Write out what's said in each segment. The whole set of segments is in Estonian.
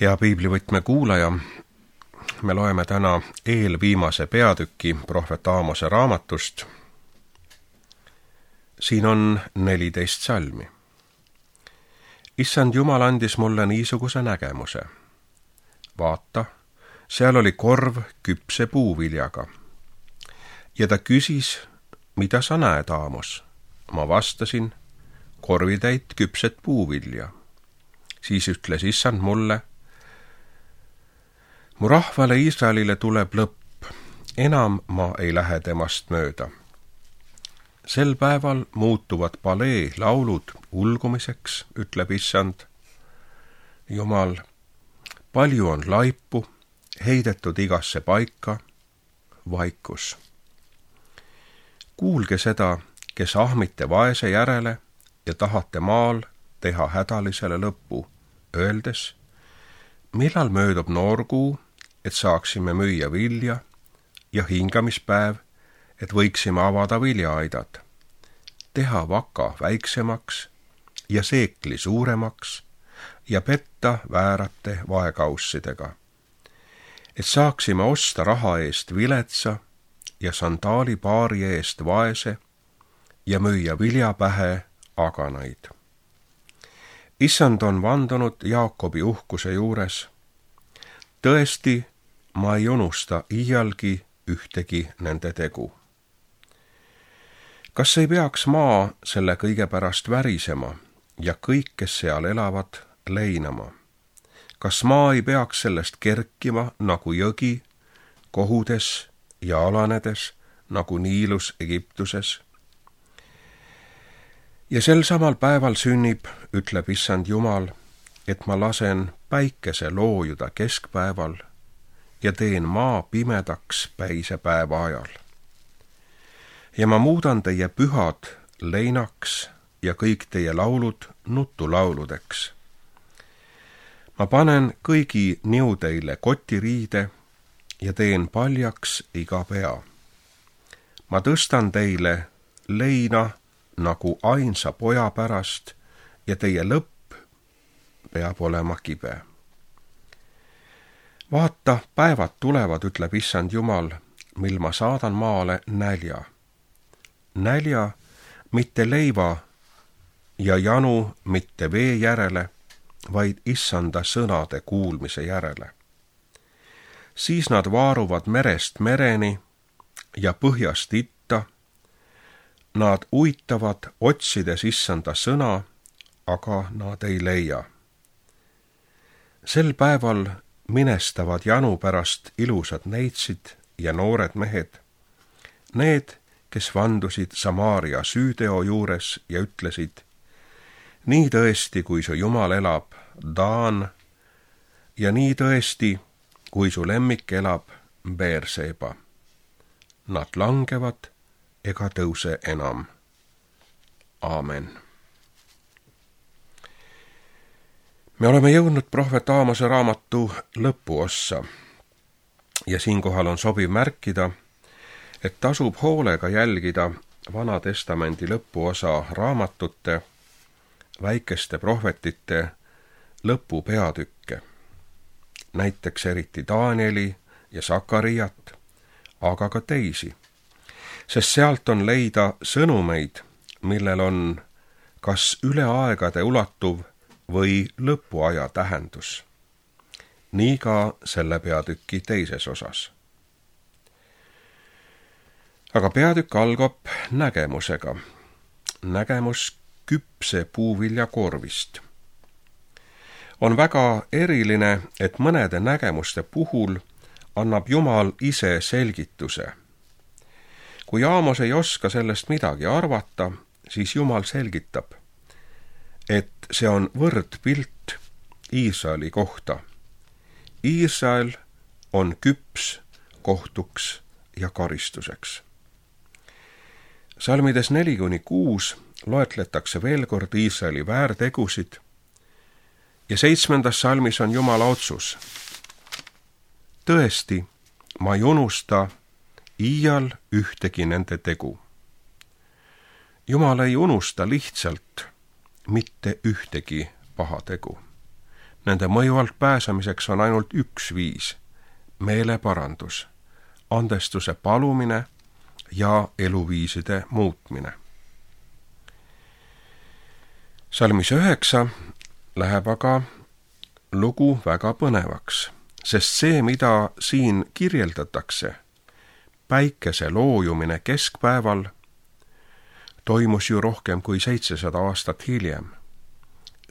Hea piiblivõtme kuulaja, me loeme täna eelviimase peatüki prohvet Aamose raamatust. Siin on 14 salmi. Issand Jumal andis mulle niisuguse nägemuse. Vaata, seal oli korv küpse puuviljaga. Ja ta küsis, mida sa näed, Aamos? Ma vastasin, korvitäit küpset puuvilja. Siis ütles Issand mulle, mu rahvale Iisraelile tuleb lõpp, enam ma ei lähe temast mööda. Sel päeval muutuvad palee laulud ulgumiseks, ütleb Issand. Jumal, palju on laipu, heidetud igasse paika, vaikus. Kuulge seda, kes ahmite vaese järele ja tahate maal teha hädalisele lõppu, öeldes, millal möödub noorkuu, et saaksime müüa vilja, ja hingamispäev, et võiksime avada viljaaidad, teha vaka väiksemaks ja seekli suuremaks ja petta väärate vaekaussidega, et saaksime osta raha eest viletsa ja sandaalipaari eest vaese ja müüa viljapähe aganaid. Issand on vandunud Jaakobi uhkuse juures. Tõesti, ma ei unusta iialgi ühtegi nende tegu. Kas ei peaks maa selle kõige pärast värisema ja kõik, kes seal elavad, leinama? Kas maa ei peaks sellest kerkima nagu jõgi, kohudes ja alanedes nagu Niilus Egiptuses? Ja sel samal päeval sünnib, ütleb Issand Jumal, et ma lasen päikese loojuda keskpäeval ja teen maa pimedaks päise päeva ajal. Ja ma muudan teie pühad leinaks ja kõik teie laulud nutulauludeks. Ma panen kõigi niudeile kotiriide ja teen paljaks iga pea. Ma tõstan teile leina nagu ainsa poja pärast ja teie lõpp peab olema kibe. Vaata, päevad tulevad, ütleb Issand Jumal, mil ma saadan maale nälja. Nälja mitte leiva ja janu mitte vee järele, vaid Issanda sõnade kuulmise järele. Siis nad vaaruvad merest mereni ja põhjast itta. Nad uitavad otsides Issanda sõna, aga nad ei leia. Sel päeval minestavad janu pärast ilusad neitsid ja noored mehed, need, kes vandusid Samaaria süüteo juures ja ütlesid, nii tõesti, kui su Jumal elab, Daan, ja nii tõesti, kui su lemmik elab, Beerseba. Nad langevad ega tõuse enam. Aamen. Me oleme jõudnud prohvet Aamose raamatu lõpuossa ja siinkohal on sobiv märkida, et tasub hoolega jälgida Vana Testamendi lõpuosa raamatute, väikeste prohvetite lõpupeatükke, näiteks eriti Danieli ja Sakariat, aga ka teisi, sest sealt on leida sõnumeid, millel on kas üle aegade ulatuv või lõpuaja tähendus. Nii ka selle peatüki teises osas. Aga peatükk algab nägemusega. Nägemus küpse puuvilja korvist. On väga eriline, et mõnede nägemuste puhul annab Jumal ise selgituse. Kui Aamos ei oska sellest midagi arvata, siis Jumal selgitab, et see on võrdpilt Iisraeli kohta. Iisrael on küps kohtuks ja karistuseks. Salmides 4-6 loetletakse veel kord Iisraeli väärtegusid ja 7. salmis on Jumala otsus. Tõesti, ma ei unusta iial ühtegi nende tegu. Jumal ei unusta lihtsalt mitte ühtegi pahategu. Nende mõju alt pääsemiseks on ainult üks viis: meeleparandus, andestuse palumine ja eluviiside muutmine. Salmis 9 läheb aga lugu väga põnevaks, sest see, mida siin kirjeldatakse, päikese loojumine keskpäeval, toimus ju rohkem kui 700 aastat hiljem,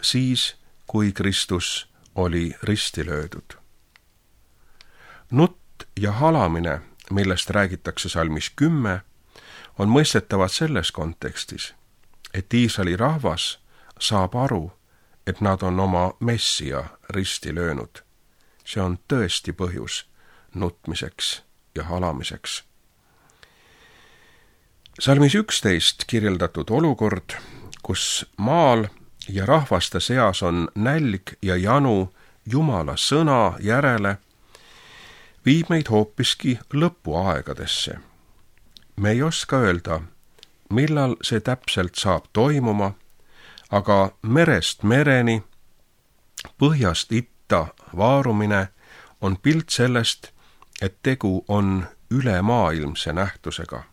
siis kui Kristus oli risti löödud. Nutt ja halamine, millest räägitakse salmis 10, on mõistetavad selles kontekstis, et Iisraeli rahvas saab aru, et nad on oma Messia risti löönud. See on tõesti põhjus nutmiseks ja halamiseks. Salmis 11 kirjeldatud olukord, kus maal ja rahvaste seas on nälg ja janu Jumala sõna järele, viib meid hoopiski lõpuaegadesse. Me ei oska öelda, millal see täpselt saab toimuma, aga merest mereni, põhjast itta vaarumine on pilt sellest, et tegu on ülemaailmse nähtusega.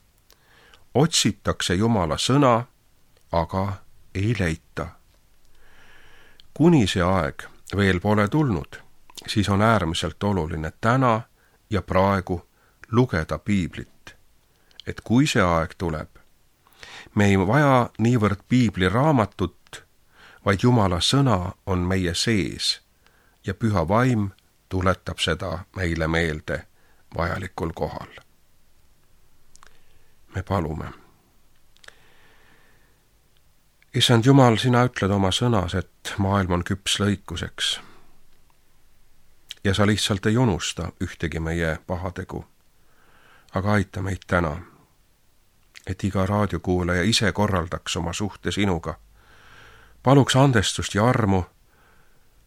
Otsitakse Jumala sõna, aga ei leita. Kuni see aeg veel pole tulnud, siis on äärmiselt oluline täna ja praegu lugeda piiblit. Et kui see aeg tuleb, me ei vaja niivõrd piibliraamatut, vaid Jumala sõna on meie sees ja püha vaim tuletab seda meile meelde vajalikul kohal. Me palume. Issand Jumal, sina ütled oma sõnas, et maailm on küps lõikuseks. Ja sa lihtsalt ei unusta ühtegi meie pahategu. Aga aita meid täna, et iga raadiokuulaja ise korraldaks oma suhte sinuga. Paluks andestust ja armu.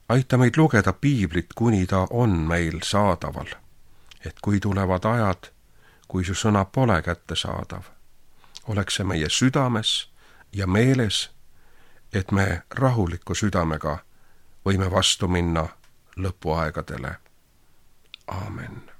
Aita meid lugeda piiblit, kuni ta on meil saadaval. Et kui tulevad ajad, kui su sõna pole kättesaadav, oleks see meie südames ja meeles, et me rahuliku südamega võime vastu minna lõpuaegadele. Aamen.